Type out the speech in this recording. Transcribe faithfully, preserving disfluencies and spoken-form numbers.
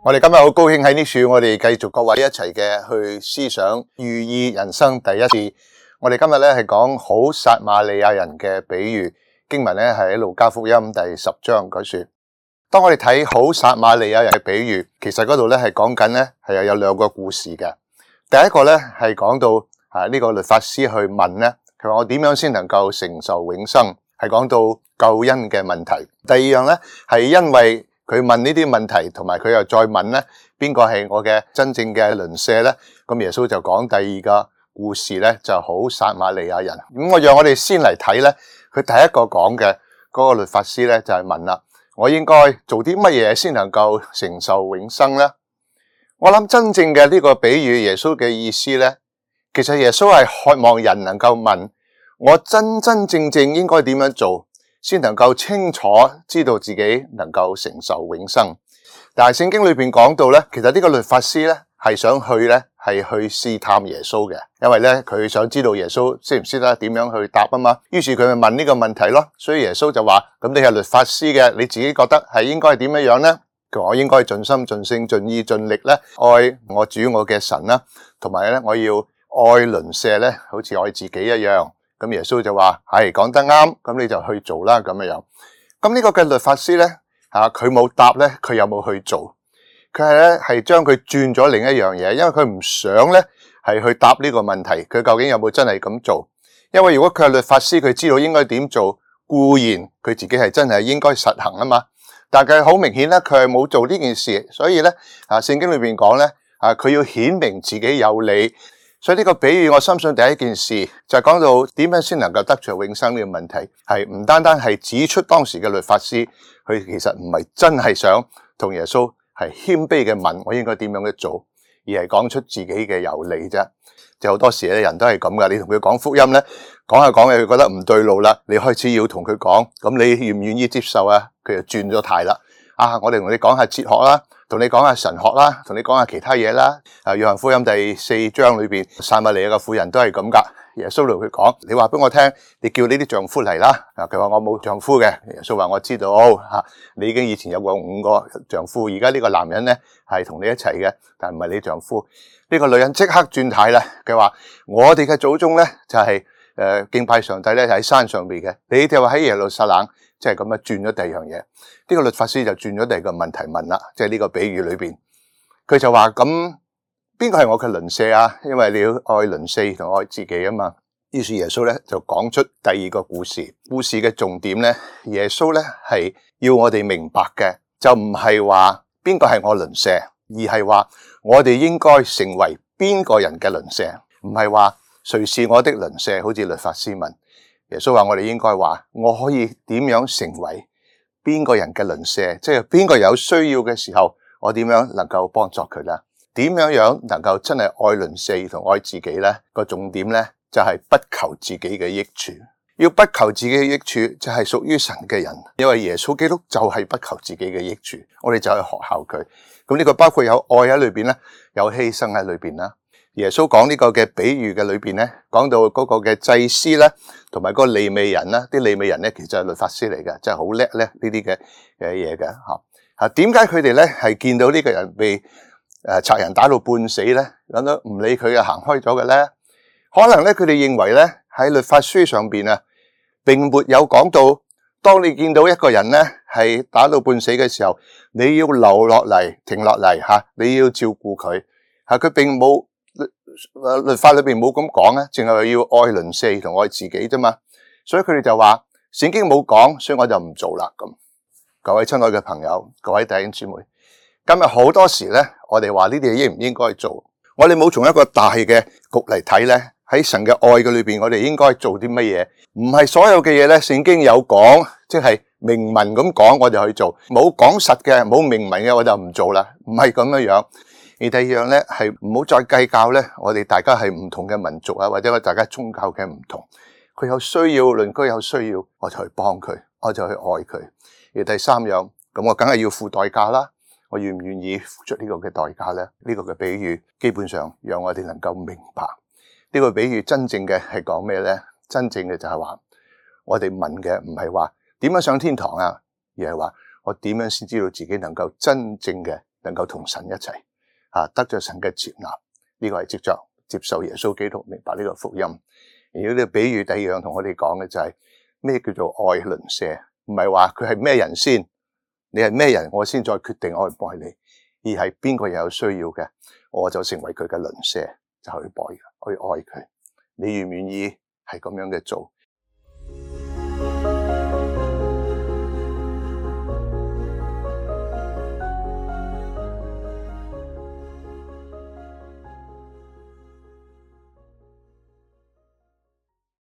我哋今日好高興喺呢處，我哋繼續各位一齊嘅去思想寓意人生第一次。我哋今日咧係講好撒瑪利亞人嘅比喻，經文咧係喺路加福音第十章嗰處。當我哋睇好撒瑪利亞人嘅比喻，其實嗰度咧係講緊咧係有兩個故事嘅。第一個咧係講到啊呢個律法師去問咧，佢話我點樣先能夠承受永生，係講到救恩嘅問題。第二樣咧係因為佢問呢啲問題，同埋佢又再問咧，邊個係我嘅真正嘅鄰舍咧？咁耶穌就講第二個故事咧，就好撒瑪利亞人。咁我讓我哋先嚟睇咧，佢第一個講嘅嗰個律法師咧，就係問啦，我應該做啲乜嘢先能夠承受永生咧？我諗真正嘅呢個比喻，耶穌嘅意思咧，其實耶穌係渴望人能夠問，我真真正正應該點樣做，先能夠清楚知道自己能夠承受永生。但係聖經裏邊講到咧，其實呢個律法師咧係想去咧係去試探耶穌嘅，因為咧佢想知道耶穌識唔識得點樣去答啊嘛。於是佢咪問呢個問題咯。所以耶穌就話：咁你係律法師嘅，你自己覺得係應該係點樣樣咧？佢話我應該盡心盡性盡意盡力咧愛我主我嘅神啦，同埋咧我要愛鄰舍咧，好似愛自己一樣。咁耶穌就話係講得啱，咁你就去做啦咁樣樣。咁呢個嘅律法師咧，吓佢冇答咧，佢有冇去做？佢係咧係將佢轉咗另一樣嘢，因為佢唔想咧係去答呢個問題，佢究竟有冇真係咁做？因為如果佢係律法師，佢知道應該點做，固然佢自己係真係應該實行啊嘛。但係好明顯咧，佢係冇做呢件事，所以咧啊，聖經裏邊講咧啊，佢要顯明自己有理。所以呢個比喻，我深信第一件事就係講到點樣先能夠得着永生呢個問題，係唔單單係指出當時嘅律法師，佢其實唔係真係想同耶穌係謙卑嘅問我應該點樣去做，而係講出自己嘅有理啫。就好多時咧，人都係咁噶，你同佢講福音咧，講下講下佢覺得唔對路啦，你開始要同佢講，咁你願唔願意接受啊？佢就轉咗態啦。啊，我哋同你講下哲學啦。同你講下神學啦，同你講下其他嘢啦。啊，約翰福音第四章裏邊，撒瑪利亞嘅婦人都係咁噶。耶穌同佢講：你話俾我聽，你叫你啲丈夫嚟啦。啊，佢話我冇丈夫嘅。耶穌話我知道，吓、啊、你已經以前有過五個丈夫，而家呢個男人咧係同你一齊嘅，但唔係你丈夫。呢、這個女人即刻轉態啦。佢話我哋嘅祖宗咧就係、是、誒、呃、敬拜上帝咧喺山上邊嘅，你哋話喺耶路撒冷。即係咁樣轉咗第二樣嘢，呢、這個律法師就轉咗第二個問題問啦，即係呢個比喻裏邊，佢就話：咁邊個係我嘅鄰舍啊？因為你要愛鄰舍同愛自己啊嘛。於是耶穌咧就講出第二個故事，故事嘅重點咧，耶穌咧係要我哋明白嘅，就唔係話邊個係我鄰舍，而係話我哋應該成為邊個人嘅鄰舍，唔係話誰是我的鄰舍，好似律法師問。耶穌話我哋應該話，我可以點樣成為邊個人嘅鄰舍？即係邊個有需要嘅時候，我點樣能夠幫助佢咧？點樣樣能夠真係愛鄰舍同愛自己咧？個重點咧就係不求自己嘅益處。要不求自己嘅益處，就係屬於神嘅人。因為耶穌基督就係不求自己嘅益處，我哋就去學效佢。咁呢個包括有愛喺裏邊咧，有犧牲喺裏邊啦。耶穌講呢個嘅比喻嘅裏邊咧，講到嗰個嘅祭司咧，同埋嗰個利未人啦，啲利未人咧其實係律法師嚟嘅，真係好叻咧呢啲嘅嘅嘢嘅吓。吓，點解佢哋咧係見到呢個人被誒賊人打到半死咧，咁都唔理佢啊行開咗嘅咧？可能咧佢哋認為咧喺律法書上邊啊，並沒有講到，當你見到一個人咧係打到半死嘅時候，你要留落嚟，停落嚟吓，你要照顧佢吓，佢並冇。律法裏邊冇咁講咧，淨係要愛鄰舍同愛自己啫嘛，所以佢哋就話聖經冇講，所以我就唔做啦。咁各位親愛嘅朋友，各位弟兄姊妹，今日好多時咧，我哋話呢啲嘢應唔應該做，我哋冇從一個大嘅局嚟睇咧，喺神嘅愛嘅裏邊，我哋應該做啲乜嘢？唔係所有嘅嘢咧，聖經有講，即係明文咁講，我就去做；冇講實嘅，冇明文嘅，我就唔做啦。唔係咁樣樣。而第二樣咧，係唔好再計較咧，我哋大家係唔同嘅民族啊，或者我大家宗教嘅唔同，佢有需要，鄰居有需要，我就去幫佢，我就去愛佢。而第三樣，咁我梗係要付代價啦，我願唔願意付出呢個嘅代價咧？呢個嘅比喻基本上讓我哋能夠明白呢個比喻真正嘅係講咩咧？真正嘅就係話，我哋問嘅唔係話點樣上天堂啊，而係話我點樣先知道自己能夠真正嘅能夠同神一齊啊，得着神嘅接納。呢、這個係藉着接受耶穌基督，明白呢個福音。而呢個比喻第二樣同我哋講嘅就係、是、咩叫做愛鄰舍，唔係話佢係咩人先，你係咩人我先再決定愛唔愛你，而係邊個有需要嘅，我就成為佢嘅鄰舍，就去愛去愛佢。你願唔願意係咁樣嘅做？